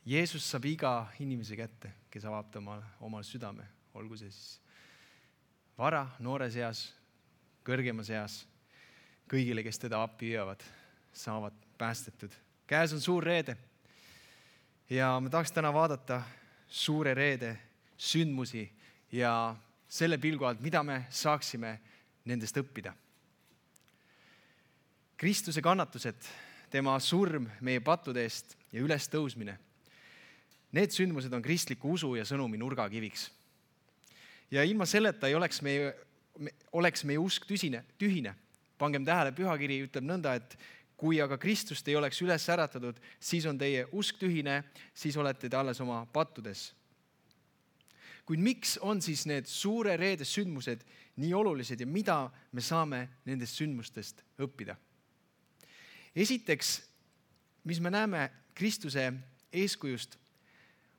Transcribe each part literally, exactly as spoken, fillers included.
Jeesus saab iga inimese kätte, kes avab omal, omal südame, olgu see siis vara, noores eas, kõrgemas eas, kõigile, kes teda appi hüüavad, saavad päästetud. Käes on suur reede ja me tahaks täna vaadata suure reede sündmusi ja selle pilgu alt, mida me saaksime nendest õppida. Kristuse kannatused, tema surm meie pattude eest ja ülestõusmine. Need sündmused on kristliku usu ja sõnumi nurgakiviks. Ja ilma selleta ei oleks meie, oleks meie usk tüsine, tühine. Pangem tähele, pühakiri ütleb nõnda, et kui aga Kristust ei oleks üles äratatud, siis on teie usk tühine, siis olete te alles oma pattudes. Kuid miks on siis need suure reede sündmused nii olulised ja mida me saame nendest sündmustest õppida? Esiteks, mis me näeme Kristuse eeskujust,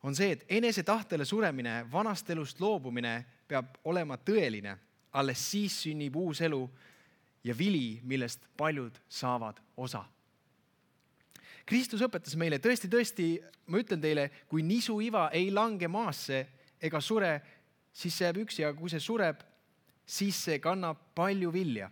on see, et enese tahtele suremine, vanast elust loobumine peab olema tõeline. Alles siis sünnib uus elu ja vili, millest paljud saavad osa. Kristus õpetas meile, tõesti, tõesti, ma ütlen teile, kui nisu iva ei lange maasse ega sure, siis see jääb üksi, aga kui see sureb, siis see kannab palju vilja.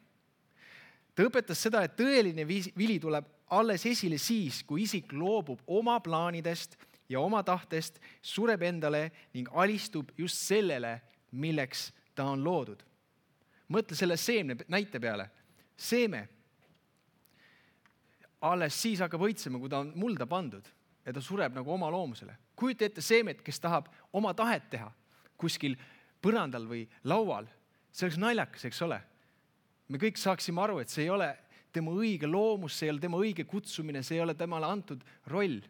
Ta õpetas seda, et tõeline vili tuleb alles esile siis, kui isik loobub oma plaanidest ja oma tahtest, sureb endale ning alistub just sellele, milleks ta on loodud. Mõtle selle seemne näite peale. Seeme alles siis hakkab õitsema, kui ta on mulda pandud ja ta sureb nagu oma loomusele. Kujuta ette seemet, kes tahab oma tahet teha kuskil põrandal või laual. See oleks naljakas, eks ole. Me kõik saaksime aru, et see ei ole tema õige loomus, see ei ole tema õige kutsumine, see ei ole temale antud roll.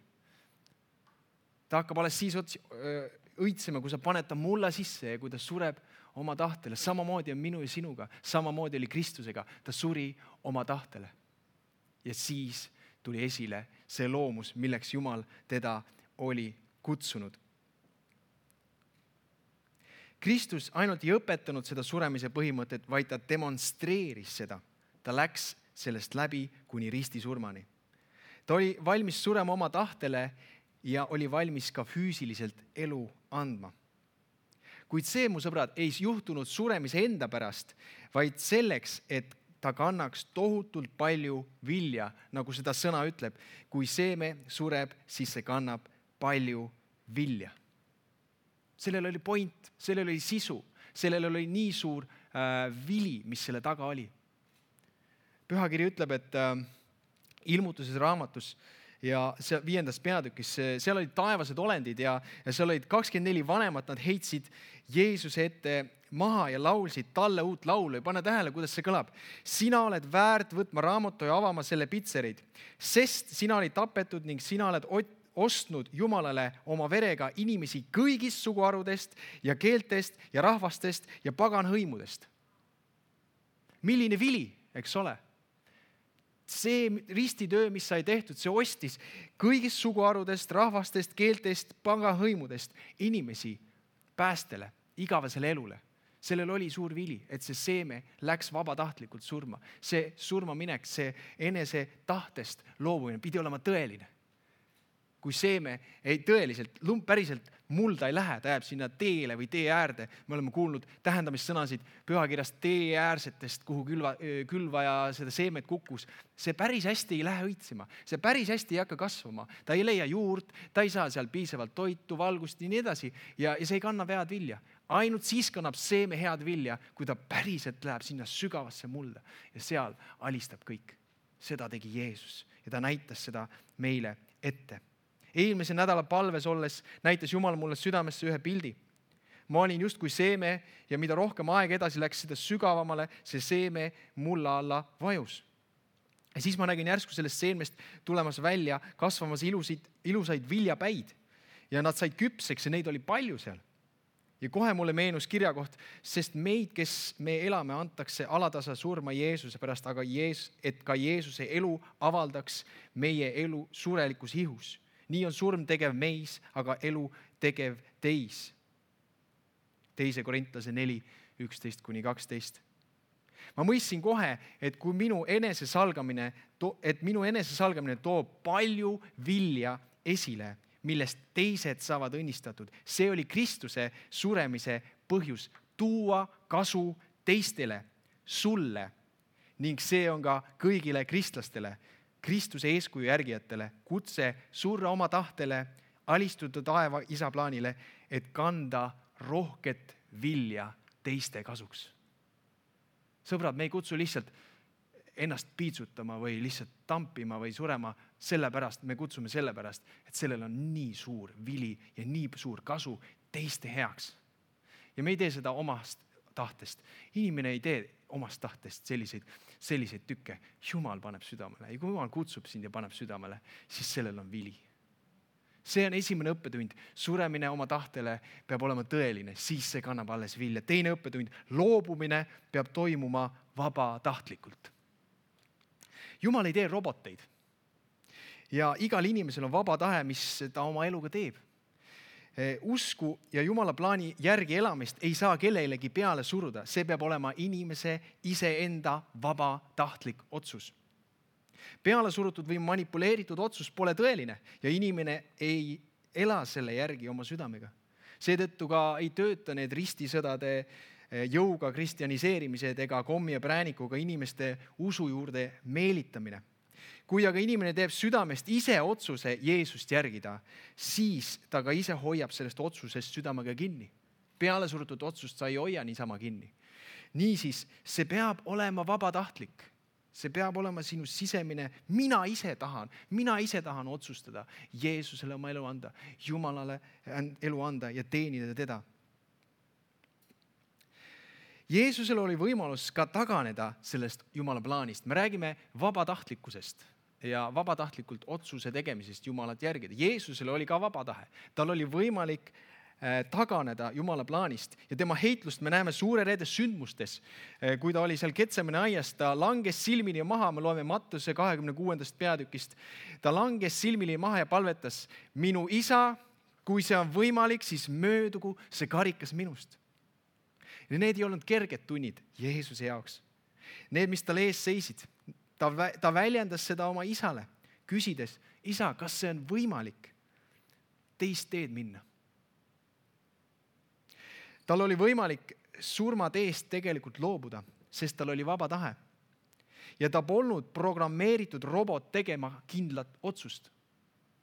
Ta hakkab alles siis õitsema, kui sa paned ta mulla sisse ja kui ta sureb oma tahtele. Samamoodi on minu ja sinuga, samamoodi oli Kristusega. Ta suri oma tahtele. Ja siis tuli esile see loomus, milleks Jumal teda oli kutsunud. Kristus ainult ei õpetanud seda suremise põhimõtet, vaid ta demonstreeris seda. Ta läks sellest läbi kuni ristisurmani. Ta oli valmis surema oma tahtele ja oli valmis ka füüsiliselt elu andma. Kuid see, mu sõbrad, ei juhtunud suremise enda pärast, vaid selleks, et ta kannaks tohutult palju vilja, nagu seda sõna ütleb. Kui seeme sureb, siis see kannab palju vilja. Sellel oli point, sellel oli sisu, sellel oli nii suur äh, vili, mis selle taga oli. Pühakiri ütleb, et äh, ilmutuses raamatus ja see viiendas peatükis, seal olid taevased olendid ja, ja seal olid kakskümmend neli vanemat, nad heitsid Jeesuse ette maha ja laulsid talle uut laulu ja pane tähele, kuidas see kõlab. Sina oled väärt võtma raamatu ja avama selle pitserid, sest sina olid tapetud ning sina oled ostnud Jumalale oma verega inimesi kõigist suguharudest ja keeltest ja rahvastest ja pagan hõimudest. Milline vili, eks ole? See ristitöö, mis sai tehtud, see ostis kõigist suguharudest, rahvastest, keeltest, pagan hõimudest inimesi päästele, igavesele elule. Sellel oli suur vili, et see seeme läks vabatahtlikult surma. See surmaminek, see enese tahtest loobumine pidi olema tõeline. Kui seeme ei tõeliselt, päriselt mulda ei lähe, ta jääb sinna teele või tee äärde. Me oleme kuulnud tähendamissõnasid pühakirjast tee äärsetest, kuhu külva, külva ja seda seemet kukkus. See päris hästi ei lähe õitsema. See päris hästi ei hakka kasvama. Ta ei leia juurt, ta ei saa seal piisavalt toitu, valgust ja nii edasi. Ja, ja see ei kanna head vilja. Ainult siis kannab seeme head vilja, kui ta päriselt läheb sinna sügavasse mulda. Ja seal alistab kõik. Seda tegi Jeesus ja ta näitas seda meile ette. Eelmise nädala palves olles näitas Jumal mulle südamesse ühe pildi. Ma olin just kui seeme ja mida rohkem aeg edasi läks seda sügavamale, see seeme mulla alla vajus. Ja siis ma nägin järsku sellest seemest tulemas välja, kasvamas ilusid, ilusaid viljapäid ja nad said küpseks ja neid oli palju seal. Ja kohe mulle meenus kirjakoht, sest meid, kes me elame, antakse alatasa surma Jeesuse pärast, aga Jeesus, et ka Jeesuse elu avaldaks meie elu surelikus ihus. Nii on surm tegev meis, aga elu tegev teis. Teise Korintlase neli, üksteist kuni kaksteist. Ma mõistsin kohe, et kui minu enesesalgamine, et minu enesesalgamine toob palju vilja esile, millest teised saavad õnnistatud. See oli Kristuse suremise põhjus, tuua kasu teistele, sulle ning see on ka kõigile kristlastele, Kristuse eeskuju järgijatele, kutse surra oma tahtele, alistuda taeva isa plaanile, et kanda rohket vilja teiste kasuks. Sõbrad, me ei kutsu lihtsalt ennast piitsutama või lihtsalt tampima või surema sellepärast, me kutsume sellepärast, et sellel on nii suur vili ja nii suur kasu teiste heaks. Ja me ei tee seda omast tahtest. Inimene ei tee omast tahtest selliseid, selliseid tükke. Jumal paneb südamele. Ja kui Jumal kutsub sind ja paneb südamele, siis sellel on vili. See on esimene õppetund. Suremine oma tahtele peab olema tõeline, siis see kannab alles vilja. Teine õppetund, loobumine peab toimuma vabatahtlikult. Jumal ei tee roboteid. Ja igal inimesel on vaba tahe, mis ta oma eluga teeb. Usku ja Jumala plaani järgi elamist ei saa kellelegi peale suruda. See peab olema inimese iseenda vabatahtlik otsus. Peale surutud või manipuleeritud otsus pole tõeline ja inimene ei ela selle järgi oma südamega. Seetõttu ka ei tööta need ristisõdade jõuga kristjaniseerimised ega kommi ja präänikuga inimeste usu juurde meelitamine. Kui aga inimene teeb südamest ise otsuse Jeesust järgida, siis ta ka ise hoiab sellest otsusest südamega kinni. Peale surutud otsust sa ei hoia niisama kinni. Niisiis, see peab olema vabatahtlik. See peab olema sinu sisemine, mina ise tahan, mina ise tahan otsustada Jeesusele oma elu anda, Jumalale elu anda ja teenida teda. Jeesusel oli võimalus ka taganeda sellest Jumala plaanist. Me räägime vabatahtlikkusest ja vabatahtlikult otsuse tegemisest Jumalat järgida. Jeesusel oli ka vaba tahe. Tal oli võimalik taganeda Jumala plaanist ja tema heitlust me näeme suure reede sündmustes. Kui ta oli seal Getsemani aias, ta langes silmini maha, me loeme Mattuse kahekümne kuuendast peatükist. Ta langes silmini maha ja palvetas, minu isa, kui see on võimalik, siis möödugu see karikas minust. Ja need ei olnud kerged tunnid Jeesuse jaoks. Need, mis tal ees seisid, ta, ta väljendas seda oma isale, küsides, isa, kas see on võimalik teist teed minna? Tal oli võimalik surma teest tegelikult loobuda, sest tal oli vaba tahe. Ja ta polnud programmeeritud robot tegema kindlat otsust.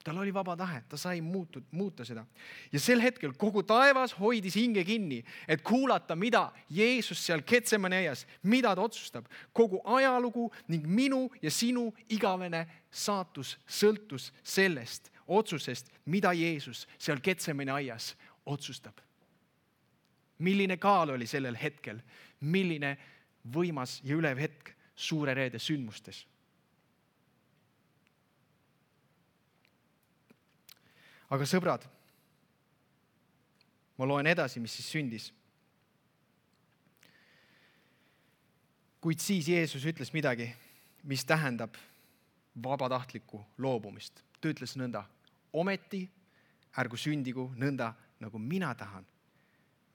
Tal oli vaba tahe, ta sai muutud, muuta seda. Ja sel hetkel kogu taevas hoidis hinge kinni, et kuulata, mida Jeesus seal Getsemani aias, mida ta otsustab. Kogu ajalugu ning minu ja sinu igavene saatus sõltus sellest otsusest, mida Jeesus seal Getsemani aias otsustab. Milline kaal oli sellel hetkel, milline võimas ja ülev hetk suure reede sündmustes. Aga sõbrad, ma loen edasi, mis siis sündis. Kuid siis Jeesus ütles midagi, mis tähendab vabatahtlikku loobumist. Ta ütles nõnda, ometi ärgu sündigu nõnda, nagu mina tahan,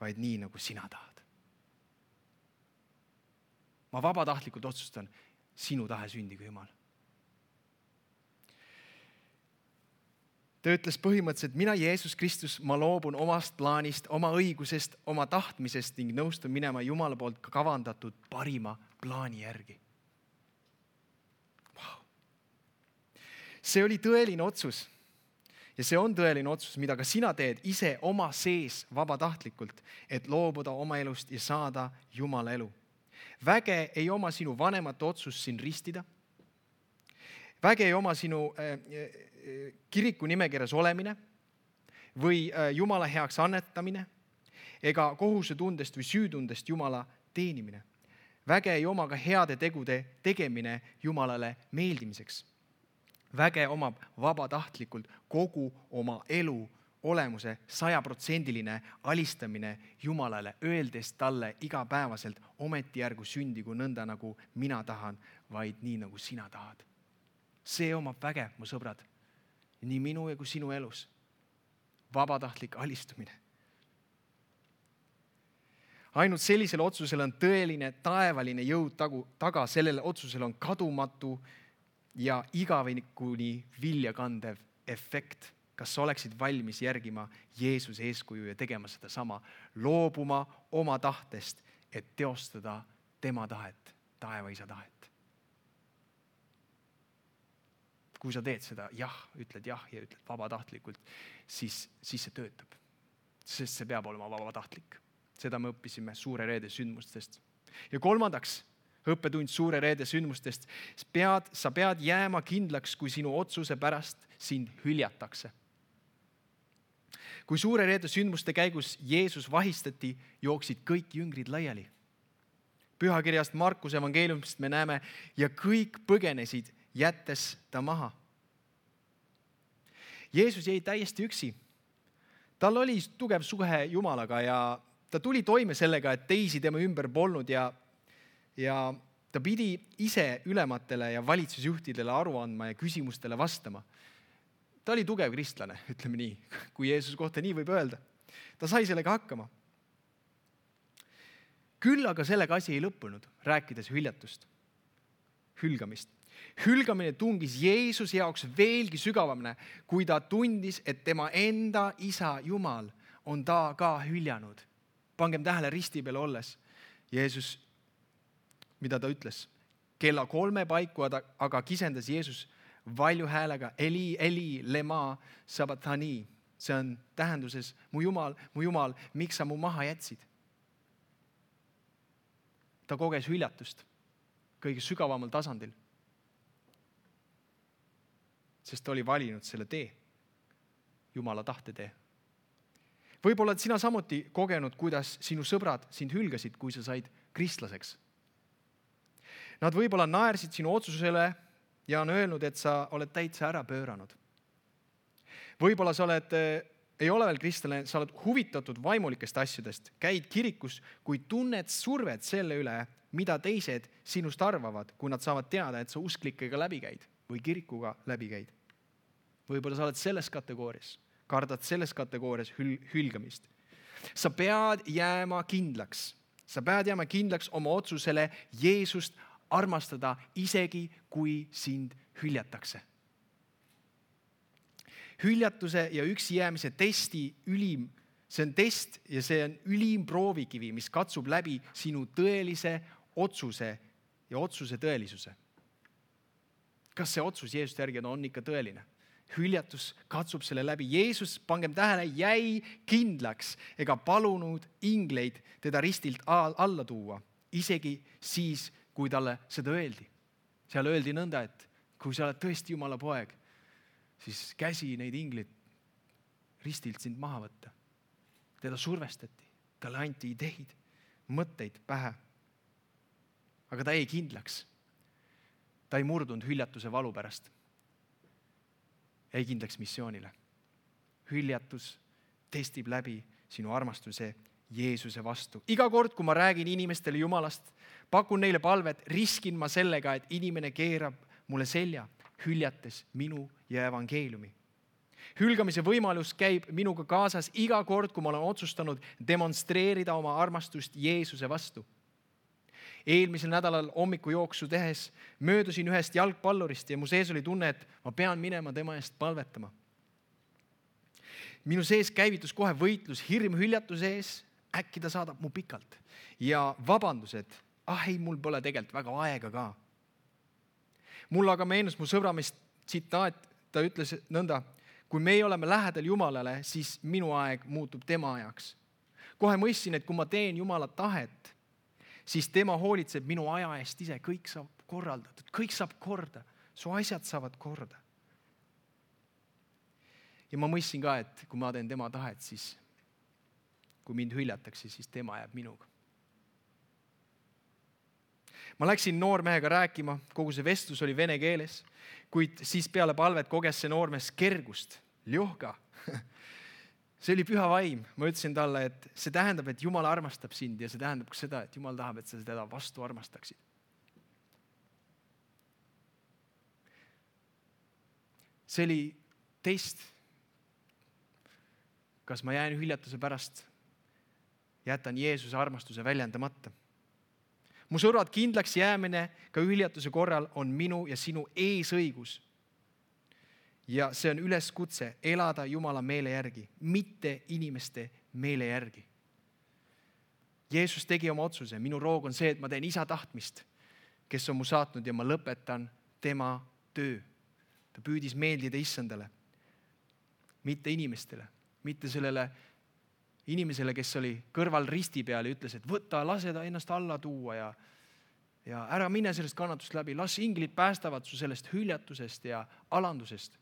vaid nii, nagu sina tahad. Ma vabatahtlikult otsustan, sinu tahe sündigu, Jumal. Ta ütles põhimõtteliselt, mina Jeesus Kristus, ma loobun omast plaanist, oma õigusest, oma tahtmisest ning nõustun minema Jumala poolt kavandatud parima plaani järgi. Wow. See oli tõeline otsus. Ja see on tõeline otsus, mida ka sina teed ise oma sees vabatahtlikult, et loobuda oma elust ja saada Jumala elu. Väge ei oma sinu vanemate otsus siin ristida. Väge ei oma sinu äh, kiriku nimekirjas olemine või äh, Jumala heaks annetamine ega kohusetundest või süütundest Jumala teenimine. Väge ei oma ka heade tegude tegemine Jumalale meeldimiseks. Väge omab vabatahtlikult kogu oma elu olemuse sajaprotsendiline alistamine Jumalale, öeldes talle igapäevaselt, ometi ärgu sündigu nõnda, nagu mina tahan, vaid nii, nagu sina tahad. See omab väge, mu sõbrad, nii minu ja kui sinu elus. Vabatahtlik alistumine. Ainult sellisel otsusel on tõeline taevaline jõud taga, sellel otsusel on kadumatu ja igavikuni vilja kandev efekt kas sa oleksid valmis järgima Jeesuse eeskuju ja tegema seda sama, loobuma oma tahtest, et teostada tema tahet, taevaisa tahet. Kui sa teed seda jah, ütled jah ja ütled vabatahtlikult, siis, siis see töötab. Sest see peab olema vabatahtlik. Seda me õppisime Suure Reede sündmustest. Ja kolmandaks, õppetund Suure Reede sündmustest. Pead, sa pead jääma kindlaks, kui sinu otsuse pärast sind hüljatakse. Kui Suure Reede sündmuste käigus Jeesus vahistati, jooksid kõik jüngrid laiali. Pühakirjast Markuse evangeeliumist me näeme ja kõik põgenesid, jättes ta maha. Jeesus jäi täiesti üksi. Tal oli tugev suhe Jumalaga ja ta tuli toime sellega, et teisi tema ümber polnud ja, ja ta pidi ise ülematele ja valitsusjuhtidele aru andma ja küsimustele vastama. Ta oli tugev kristlane, ütleme nii, kui Jeesuse kohta nii võib öelda. Ta sai sellega hakkama. Küll aga sellega asi ei lõppunud, rääkides hüljatust, hülgamist. Hülgamine tungis Jeesuse jaoks veelgi sügavamine, kui ta tundis, et tema enda isa Jumal on ta ka hüljanud. Pangem tähele risti peal olles. Jeesus, mida ta ütles? Kella kolme paiku aga kisendas Jeesus valju häälega Eli, Eli, lema sabatani. See on tähenduses, mu Jumal, mu Jumal, miks sa mu maha jätsid? Ta koges hüljatust kõige sügavamal tasandil. Sest ta oli valinud selle tee, Jumala tahte tee. Võib-olla et sina samuti kogenud, kuidas sinu sõbrad sind hülgasid, kui sa said kristlaseks. Nad võib-olla naersid sinu otsusele ja on öelnud, et sa oled täitsa ära pööranud. Võib-olla sa oled, ei ole veel kristlane, sa oled huvitatud vaimulikest asjadest, käid kirikus, kui tunned survet selle üle, mida teised sinust arvavad, kui nad saavad teada, et sa usklikega läbi käid või kirikuga läbi käid. Võib-olla sa oled selles kategoorias, kardad selles kategoorias hül- hülgamist. Sa pead jääma kindlaks. Sa pead jääma kindlaks oma otsusele Jeesust armastada, isegi kui sind hüljatakse. Hüljatuse ja üksi jäämise testi ülim, see on test ja see on ülim proovikivi, mis katsub läbi sinu tõelise otsuse ja otsuse tõelisuse. Kas see otsus Jeesust järgi on ikka tõeline? Hüljatus katsub selle läbi. Jeesus, pangem tähele, jäi kindlaks ega palunud ingleid teda ristilt alla tuua, isegi siis, kui talle seda öeldi. Seal öeldi nõnda, et kui sa oled tõesti Jumala poeg, siis käsi neid ingleid ristilt sind maha võtta. Teda survestati, talle anti ideid, mõtteid pähe. Aga ta jäi kindlaks. Ta ei murdunud hüljatuse valu pärast. Jäi kindlaks missioonile. Hüljatus testib läbi sinu armastuse Jeesuse vastu. Iga kord, kui ma räägin inimestele Jumalast, pakun neile palvet, riskin ma sellega, et inimene keerab mulle selja, hüljates minu ja evangeeliumi. Hülgamise võimalus käib minuga kaasas iga kord, kui ma olen otsustanud demonstreerida oma armastust Jeesuse vastu. Eelmisel nädalal hommikujooksu tehes möödusin ühest jalgpallurist ja mu sees oli tunne, et ma pean minema tema eest palvetama. Minu sees käivitus kohe võitlus hirm hüljatuse ees, äkki ta saadab mu pikalt. Ja vabandused, ah ei, mul pole tegelikult väga aega ka. Mul aga meenus mu sõbramees tsitaat, ta ütles nõnda, kui me oleme lähedal Jumalale, siis minu aeg muutub tema ajaks. Kohe mõistsin, et kui ma teen Jumala tahet, siis tema hoolitseb minu aja eest ise, kõik saab korraldatud, kõik saab korda, su asjad saavad korda. Ja ma mõistsin ka, et kui ma teen tema tahet, siis kui mind hüljatakse, siis tema jääb minuga. Ma läksin noormehega rääkima, kogu see vestlus oli vene keeles, kuid siis peale palvet koges see noormees kergust, ljohka. See oli püha vaim. Ma ütlesin talle, et see tähendab, et Jumal armastab sind ja see tähendab ka seda, et Jumal tahab, et sa teda vastu armastaksid. See oli test. Kas ma jään hüljatuse pärast, jätan Jeesuse armastuse väljendamata. Mu sõbrad, kindlaks jäämine ka hüljatuse korral on minu ja sinu eesõigus. ja see on üleskutse elada Jumala meele järgi, mitte inimeste meele järgi. Jeesus tegi oma otsuse. Minu roog on see, et ma teen isa tahtmist, kes on mu saatnud ja ma lõpetan tema töö. Ta püüdis meeldida issandale, mitte inimestele, mitte sellele inimesele, kes oli kõrval risti peal ja ütles, et võta, lase ta ennast alla tuua ja, ja ära mine sellest kannatust läbi. Las inglid päästavad su sellest hüljatusest ja alandusest.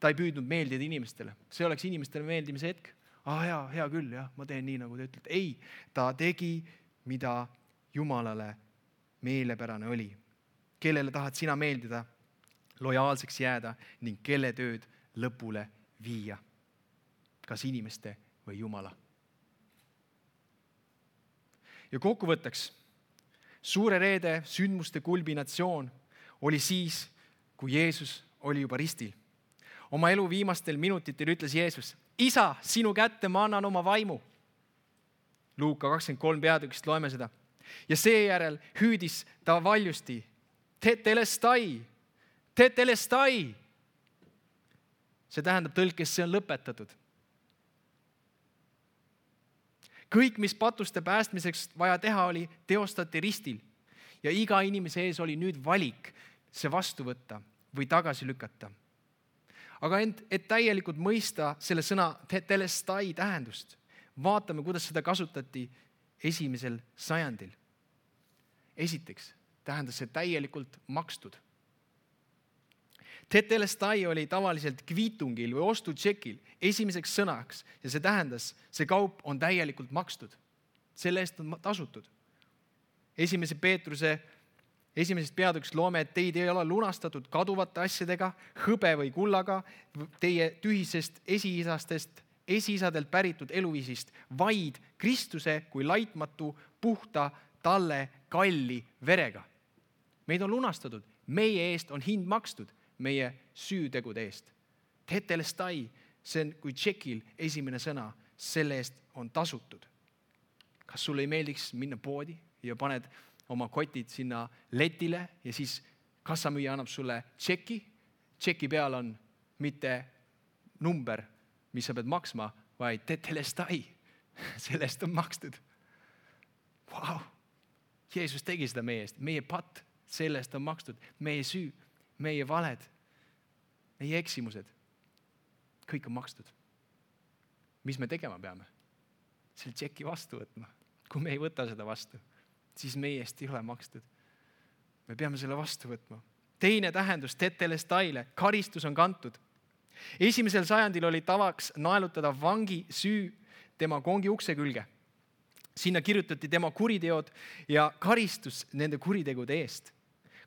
Ta ei püüdnud meeldida inimestele. See oleks inimestele meeldimise hetk. Ah, hea, hea küll, jah, ma teen nii, nagu te ütlete. Ei, ta tegi, mida Jumalale meelepärane oli. Kellele tahad sina meeldida, lojaalseks jääda ning kelle tööd lõpule viia. Kas inimeste või Jumala. Ja kokkuvõtteks, suure reede sündmuste kulminatsioon oli siis, kui Jeesus oli juba ristil. Oma elu viimastel minutitel ütles Jeesus, isa, sinu kätte ma annan oma vaimu. Luuka kakskümmend kolm peatükist loeme seda. Ja seejärel hüüdis ta valjusti, tetelestai, tetelestai. See tähendab tõlkes, see on lõpetatud. Kõik, mis patuste päästmiseks vaja teha oli, teostati ristil. Ja iga inimese ees oli nüüd valik see vastu võtta või tagasi lükata. Aga ent, et täielikult mõista selle sõna tetelestai tähendust, vaatame, kuidas seda kasutati esimesel sajandil. Esiteks tähendas see täielikult makstud. Tetelestai oli tavaliselt kviitungil või ostutšekil esimeseks sõnaks ja see tähendas, see kaup on täielikult makstud. Selle eest on tasutud. Esimese Peetruse esimesest peatükist loome, et teid ei ole lunastatud kaduvate asjadega, hõbe või kullaga, teie tühisest esiisastest, esiisadelt päritud eluviisist, vaid Kristuse kui laitmatu, puhta, talle kalli verega. Meid on lunastatud, meie eest on hind makstud, meie süütegude eest. Tetelestai, see on kui tšekil esimene sõna, selle eest on tasutud. Kas sulle ei meeldiks minna poodi ja paned oma kotid sinna letile ja siis kassamüüja annab sulle tšeki. Tšeki peal on mitte number, mis sa pead maksma, vaid tetelestai. Sellest on makstud. Vau! Jeesus tegi seda meie eest. Meie patt, sellest on makstud. Meie süü, meie valed, meie eksimused. Kõik on makstud. Mis me tegema peame? Selle tšeki vastu võtma. Kui me ei võta seda vastu, siis meie eest ei ole makstud. Me peame selle vastu võtma. Teine tähendus tetelestaile, karistus on kantud. Esimesel sajandil oli tavaks naelutada vangi süü tema kongi ukse külge. Sinna kirjutati tema kuriteod ja karistus nende kuritegude eest.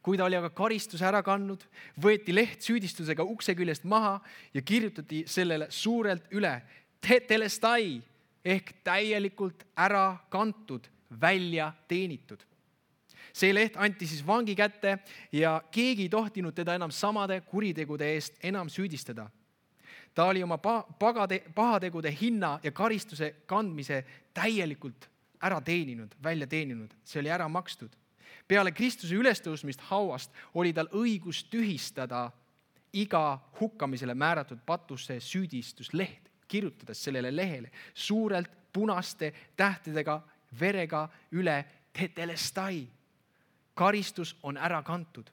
Kui ta oli aga karistus ära kandnud, võeti leht süüdistusega ukse küljest maha ja kirjutati sellele suurelt üle tetelestai ehk täielikult ära kantud, välja teenitud. See leht anti siis vangi kätte ja keegi ei tohtinud teda enam samade kuritegude eest enam süüdistada. Ta oli oma pagade, pahategude hinna ja karistuse kandmise täielikult ära teeninud, välja teeninud. See oli ära makstud. Peale Kristuse ülestõusmist hauast oli tal õigus tühistada iga hukkamisele määratud patusse süüdistusleht, kirjutades sellele lehele suurelt punaste tähtedega verega üle tetelestai. Karistus on ära kantud.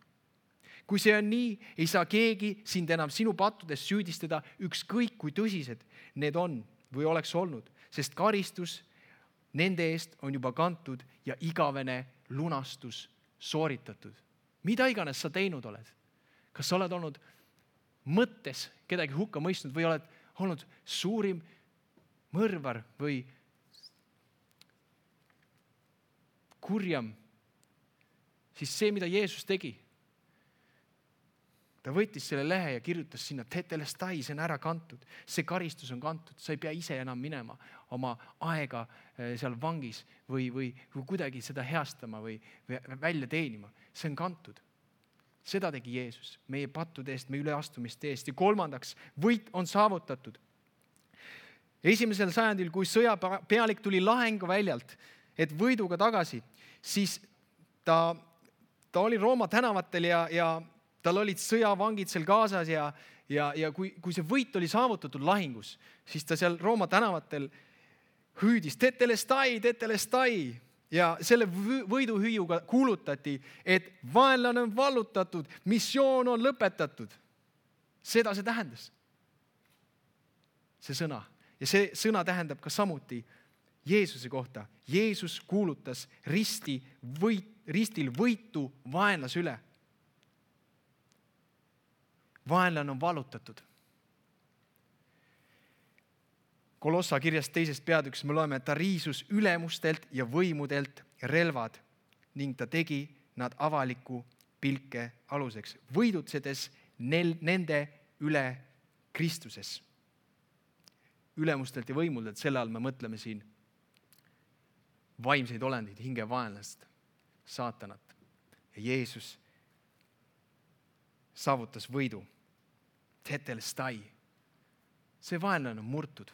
Kui see on nii, ei saa keegi sind enam sinu pattudes süüdistada, ükskõik kui tõsised need on või oleks olnud, sest karistus nende eest on juba kantud ja igavene lunastus sooritatud. Mida iganes sa teinud oled? Kas sa oled olnud mõttes kedagi hukka mõistnud või oled olnud suurim mõrvar või kurjam, siis see, mida Jeesus tegi, ta võttis selle lehe ja kirjutas sinna tetelestai, see on ära kantud, see karistus on kantud, sa ei pea ise enam minema oma aega seal vangis või, või, või kuidagi seda heastama või, või välja teenima, see on kantud. Seda tegi Jeesus meie pattude eest, meie üleastumiste eest ja kolmandaks, võit on saavutatud. Esimesel sajandil, kui sõjapealik tuli lahingu väljalt, et võiduga tagasi, siis ta, ta oli Rooma tänavatel ja, ja Tal olid sõjavangid seal kaasas ja, ja, ja kui, kui see võit oli saavutatud lahingus, siis ta seal Rooma tänavatel hüüdis tetelestai, tetelestai ja selle võiduhüüuga kuulutati, et vaenlane on vallutatud, missioon on lõpetatud. Seda see tähendas. See sõna. Ja see sõna tähendab ka samuti Jeesuse kohta. Jeesus kuulutas risti võit, ristil võitu vaenlase üle. Vaenlane on vallutatud. Kolossa kirjast teisest peatükis me loeme, et ta riisus ülemustelt ja võimudelt relvad ning ta tegi nad avaliku pilke aluseks, võidutsedes nel, nende üle Kristuses. Ülemustelt ja võimudelt, selle all me mõtleme siin vaimseid olendid, hingevaenlast, saatanat. Ja Jeesus saavutas võidu. Tetelestai. See vaenlane on murtud.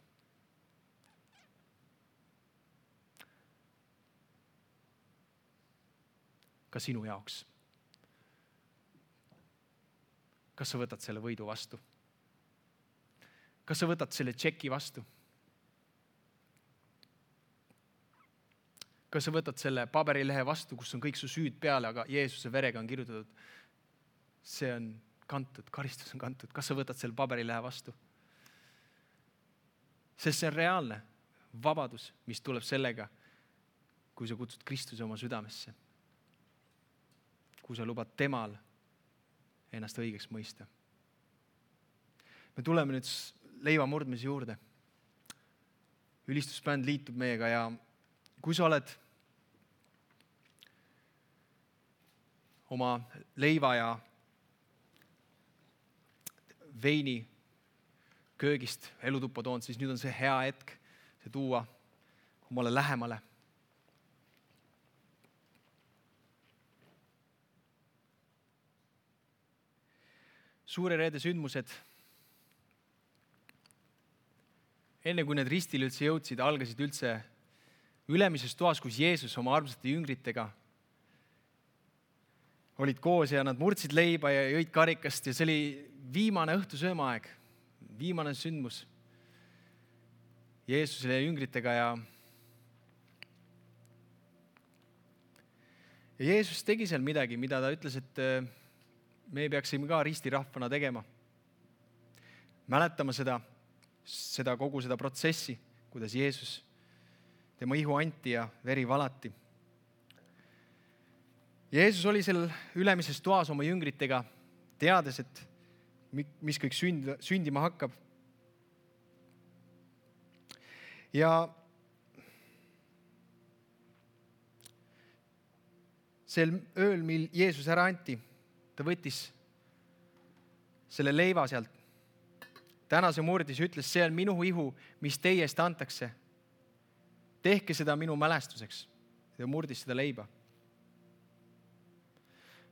Ka sinu jaoks. Kas sa võtad selle võidu vastu? Kas sa võtad selle tšeki vastu? Kas sa võtad selle paberilehe vastu, kus on kõik su süüd peale, aga Jeesuse verega on kirjutatud, see on kantud, karistus on kantud. Kas sa võtad selle paberilehe vastu? Sest see on reaalne vabadus, mis tuleb sellega, kui sa kutsud Kristuse oma südamesse. Kui sa lubad temal ennast õigeks mõista. Me tuleme nüüd leiva murdmise juurde. Ülistusbänd liitub meiega ja kui sa oled oma leiva ja veini köögist elutuppa toonud, siis nüüd on see hea hetk see tuua omale lähemale. Suure reede sündmused, enne kui need ristile üldse jõudsid, algasid üldse ülemises toas, kus Jeesus oma armsate jüngritega olid koos ja nad murdsid leiba ja jõid karikast ja see oli viimane õhtusöömaaeg, viimane sündmus Jeesusele ja jüngritega ja ja Jeesus tegi seal midagi, mida ta ütles, et me peaksime ka ristirahvana tegema. Mäletama seda, seda kogu seda protsessi, kuidas Jeesus tema ihu anti ja veri valati. Jeesus oli seal ülemises toas oma jüngritega, teades, et mis kõik sünd, sündima hakkab. Ja sel ööl, mil Jeesus ära anti, ta võttis selle leiva sealt, tänase murdis ja ütles, see on minu ihu, mis teie eest antakse. Tehke seda minu mälestuseks. Ja murdis seda leiba.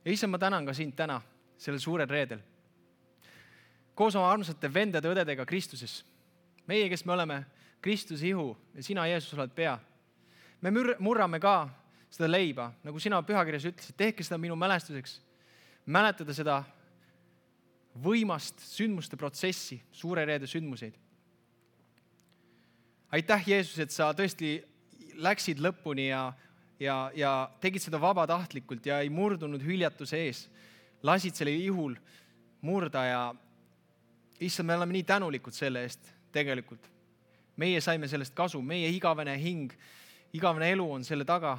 Ja issa, ma tänan ka sind täna, sellel suurel reedel. Koos oma armsate vendade õdedega Kristuses. Meie, kes me oleme Kristuse ihu ja sina, Jeesus, oled pea. Me murrame ka seda leiba, nagu sina pühakirjas ütlesid, tehke seda minu mälestuseks. Mäletada seda võimast sündmuste protsessi, suure reede sündmuseid. Aitäh, Jeesus, et sa tõesti läksid lõpuni ja, ja, ja tegid seda vabatahtlikult ja ei murdunud hüljatuse ees. Lasid selle ihul murda ja issand, me oleme nii tänulikud selle eest tegelikult. Meie saime sellest kasu, meie igavene hing, igavene elu on selle taga.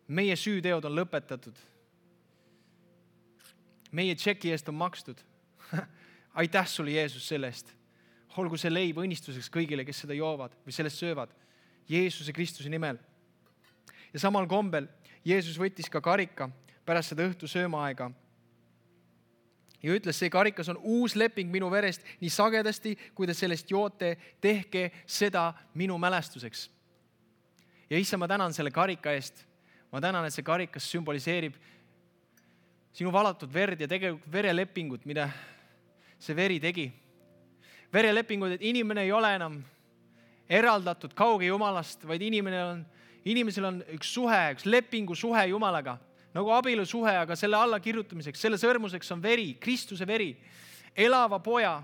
Meie süüteod on lõpetatud. Meie tšeki eest on makstud. Aitäh sulle, Jeesus, selle eest. Olgu see leib õnnistuseks kõigile, kes seda joovad või sellest söövad. Jeesuse Kristuse nimel. Ja samal kombel Jeesus võttis ka karika pärast seda õhtu söömaaega. Ja ütles, see karikas on uus leping minu verest nii sagedasti, kui te sellest joote, tehke seda minu mälestuseks. Ja issa, ma tänan selle karika eest. Ma tänan, et see karikas sümboliseerib sinu valatud verd ja tegelikult verelepingut, mida see veri tegi. Verelepingud, et inimene ei ole enam eraldatud kauge Jumalast, vaid inimene on, inimesel on üks suhe, üks lepingu suhe Jumalaga. nagu abielusuhe, aga selle alla kirjutamiseks, selle sõrmuseks on veri, Kristuse veri, elava poja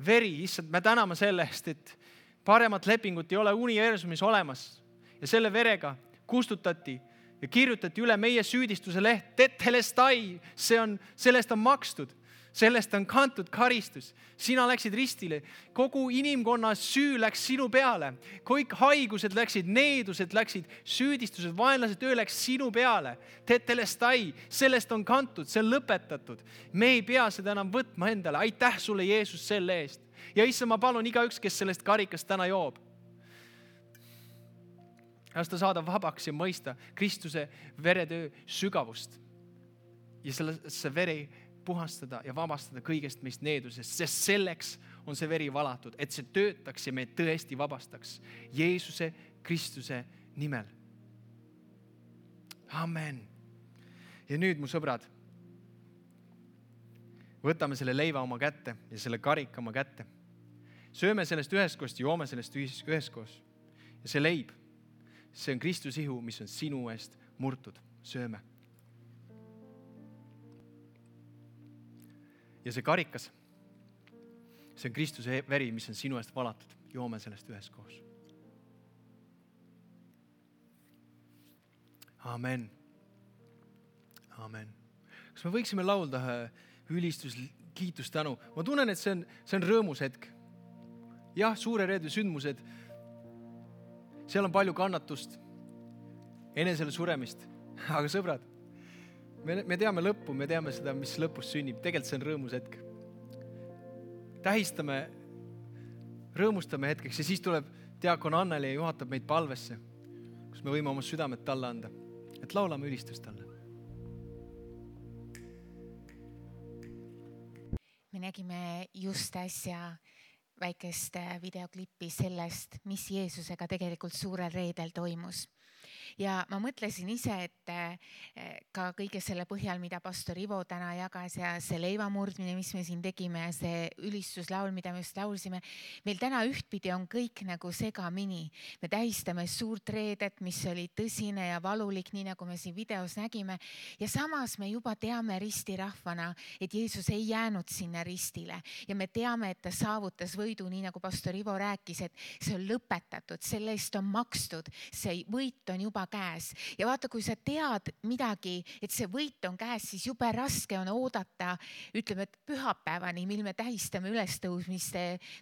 veri. Issand, me täname selle eest, et paremat lepingut ei ole universumis olemas ja selle verega kustutati ja kirjutati üle meie süüdistuse leht. Tetelestai, see on, sellest on makstud. Sellest on kantud karistus. Sina läksid ristile. Kogu inimkonna süü läks sinu peale. Kõik haigused läksid, needused läksid, süüdistused, vaenlase töö läks sinu peale. Tetelestai, sellest on kantud, see on lõpetatud. Me ei pea seda enam võtma endale. Aitäh sulle, Jeesus, selle eest. Ja issa, ma palun igaüks, kes sellest karikast täna joob. Las ta saada vabaks ja mõista Kristuse veretöö sügavust. Ja selle, see veri puhastada ja vabastada kõigest meist needusest, sest selleks on see veri valatud, et see töötaks ja me tõesti vabastaks Jeesuse Kristuse nimel. Amen. Ja nüüd, mu sõbrad, võtame selle leiva oma kätte ja selle karika oma kätte. Sööme sellest üheskoos ja joome sellest üheskoos. Ja see leib, see on Kristuse ihu, mis on sinu eest murtud. Sööme. Ja see karikas, see on Kristuse veri, mis on sinu eest valatud. Joome sellest üheskoos. Amen. Amen. Kas me võiksime laulda ülistus, kiitus, tänu? Ma tunnen, et see on, see on rõõmus hetk. Jah, suure reede sündmused. Seal on palju kannatust, enesele suremist. Aga sõbrad, me, me teame lõppu, me teame seda, mis lõpus sünnib. Tegelikult see on rõõmus hetk. Tähistame, rõõmustame hetkeks ja siis tuleb diakon Anneli ja juhatab meid palvesse, kus me võime oma südamet talle anda. Et laulame ülistust talle. Me nägime just äsja väikest videoklippi sellest, mis Jeesusega tegelikult suurel reedel toimus. Ja ma mõtlesin ise, et ka kõige selle põhjal, mida pastor Ivo täna jagas ja see leivamurdmine, mis me siin tegime ja see ülistuslaul, mida me just laulsime, meil täna ühtpidi on kõik nagu segamini. Me tähistame suurt reedet, mis oli tõsine ja valulik, nii nagu me siin videos nägime. Ja samas me juba teame ristirahvana, et Jeesus ei jäänud sinna ristile. Ja me teame, et ta saavutas võidu, nii nagu pastor Ivo rääkis, et see on lõpetatud, selle eest on makstud, see võit on juba käes. Ja vaata, kui sa tead midagi, et see võit on käes, siis jube raske on oodata, ütleme, et pühapäevani, mil me tähistame ülestõusmist,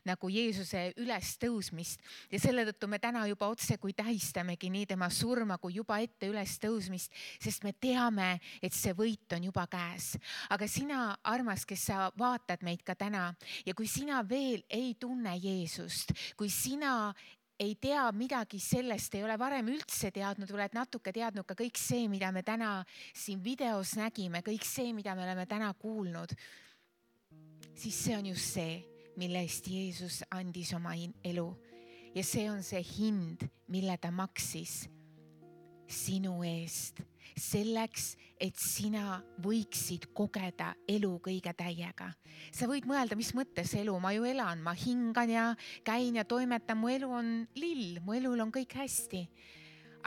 nagu Jeesuse ülestõusmist. Ja selle tõttu me täna juba otse, kui tähistamegi nii tema surma, kui juba ette ülestõusmist, sest me teame, et see võit on juba käes. Aga sina, armas, kes sa vaatad meid ka täna ja kui sina veel ei tunne Jeesust, kui sina ei tea midagi sellest, ei ole varem üldse teadnud, oled natuke teadnud ka kõik see, mida me täna siin videos nägime, kõik see, mida me oleme täna kuulnud, siis see on just see, mille eest Jeesus andis oma elu. Ja see on see hind, mille ta maksis sinu eest. Selleks, et sina võiksid kogeda elu kõige täiega. Sa võid mõelda, mis mõttes elu, ma ju elan, ma hingan ja käin ja toimetan, mu elu on lill, mu elul on kõik hästi.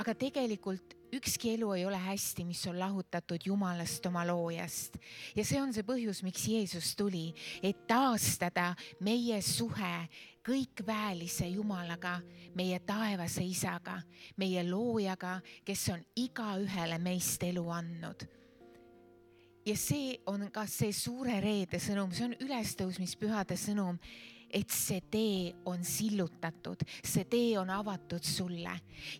Aga tegelikult ükski elu ei ole hästi, mis on lahutatud Jumalast oma loojast. Ja see on see põhjus, miks Jeesus tuli, et taastada meie suhe kõik väelise Jumalaga, meie taevase isaga, meie loojaga, kes on iga ühele meist elu andnud. Ja see on ka see suure reede sõnum, see on ülestõusmispühade sõnum, et see tee on sillutatud, see tee on avatud sulle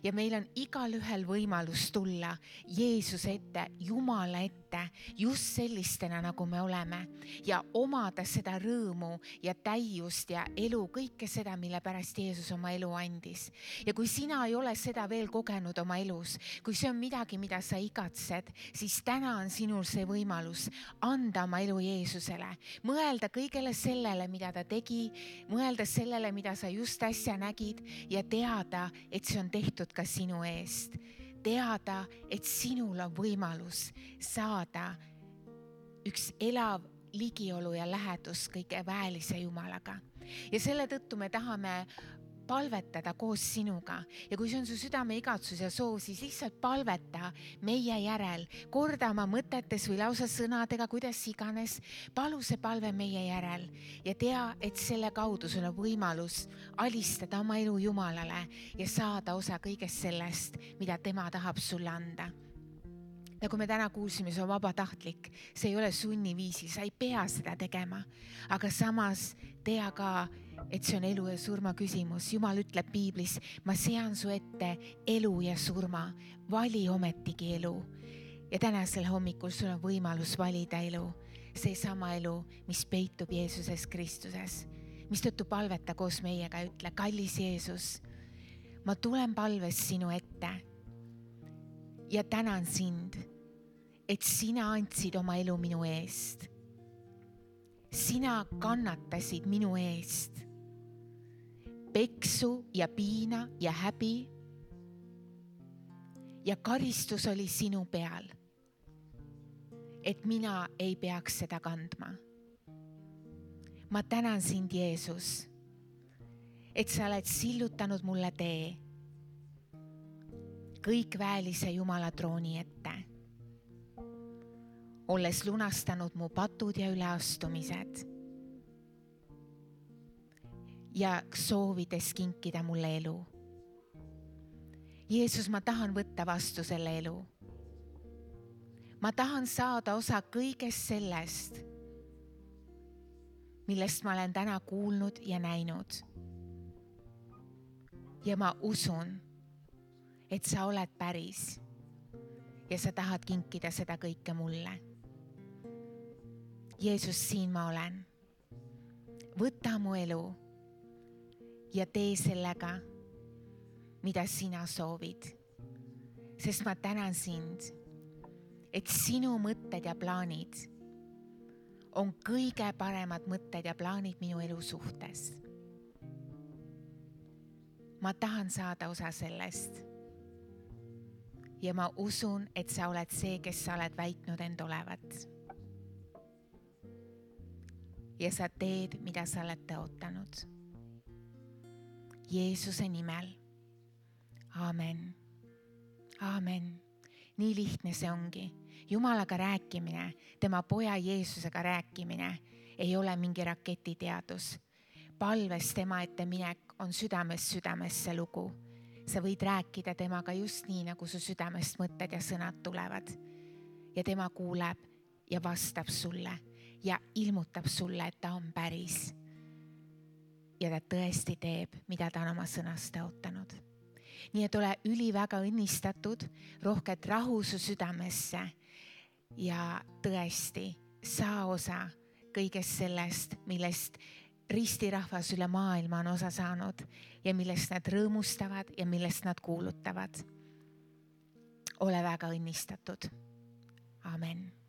ja meil on igal ühel võimalus tulla Jeesuse ette, Jumala ette, just sellistena, nagu me oleme ja omada seda rõõmu ja täiust ja elu, kõike seda, mille pärast Jeesus oma elu andis. Ja kui sina ei ole seda veel kogenud oma elus, kui see on midagi, mida sa igatsed, siis täna on sinul see võimalus anda oma elu Jeesusele, mõelda kõigele sellele, mida ta tegi, mõelda sellele, mida sa just äsja nägid ja teada, et see on tehtud ka sinu eest. Teada, et sinul on võimalus saada üks elav ligiolu ja lähedus kõige väelise Jumalaga. Ja selle tõttu me tahame palvetada koos sinuga ja kui see on su südame igatsus ja soov, siis lihtsalt palveta meie järel, korda oma mõtetes või lausa sõnadega, kuidas iganes, palu see palve meie järel ja tea, et selle kaudu sul on võimalus alistada oma elu Jumalale ja saada osa kõigest sellest, mida tema tahab sulle anda. Nagu me täna kuulsime, see on vabatahtlik, see ei ole sunniviisil, sa ei pea seda tegema, aga samas tea ka, et see on elu ja surma küsimus. Jumal ütleb piiblis, ma sean su ette elu ja surma, vali ometigi elu. Ja tänasel hommikul sul on võimalus valida elu, see sama elu, mis peitub Jeesuses Kristuses. Mistõttu palveta koos meiega, ütle, kallis Jeesus, ma tulen palves sinu ette ja tänan sind, et sina andsid oma elu minu eest. Sina kannatasid minu eest. Peksu ja piina ja häbi ja karistus oli sinu peal, et mina ei peaks seda kandma. Ma tänan sind, Jeesus, et sa oled sillutanud mulle tee kõikväelise Jumala trooni ette, olles lunastanud mu patud ja üleastumised ja soovides kinkida mulle elu. Jeesus, ma tahan võtta vastu selle elu. Ma tahan saada osa kõigest sellest, millest ma olen täna kuulnud ja näinud. Ja ma usun, et sa oled päris ja sa tahad kinkida seda kõike mulle. Jeesus, siin ma olen. Võta mu elu ja tee sellega, mida sina soovid. Sest ma tänan sind, et sinu mõtted ja plaanid on kõige paremad mõtted ja plaanid minu elu suhtes. Ma tahan saada osa sellest. Ja ma usun, et sa oled see, kes sa oled väitnud end olevat. Ja sa teed, mida sa oled tõotanud. Jeesuse nimel. Aamen. Aamen. Nii lihtne see ongi. Jumalaga rääkimine, tema poja Jeesusega rääkimine ei ole mingi raketiteadus. Palves tema ette minek on südames südamesse lugu. Sa võid rääkida temaga just nii, nagu su südamest mõtted ja sõnad tulevad. Ja tema kuuleb ja vastab sulle ja ilmutab sulle, et ta on päris. Ja ta tõesti teeb, mida ta on oma sõnast tõotanud. Nii et ole üliväga õnnistatud, rohket rahu su südamesse ja tõesti saa osa kõigest sellest, millest ristirahvas üle maailma on osa saanud ja millest nad rõõmustavad ja millest nad kuulutavad. Ole väga õnnistatud. Amen.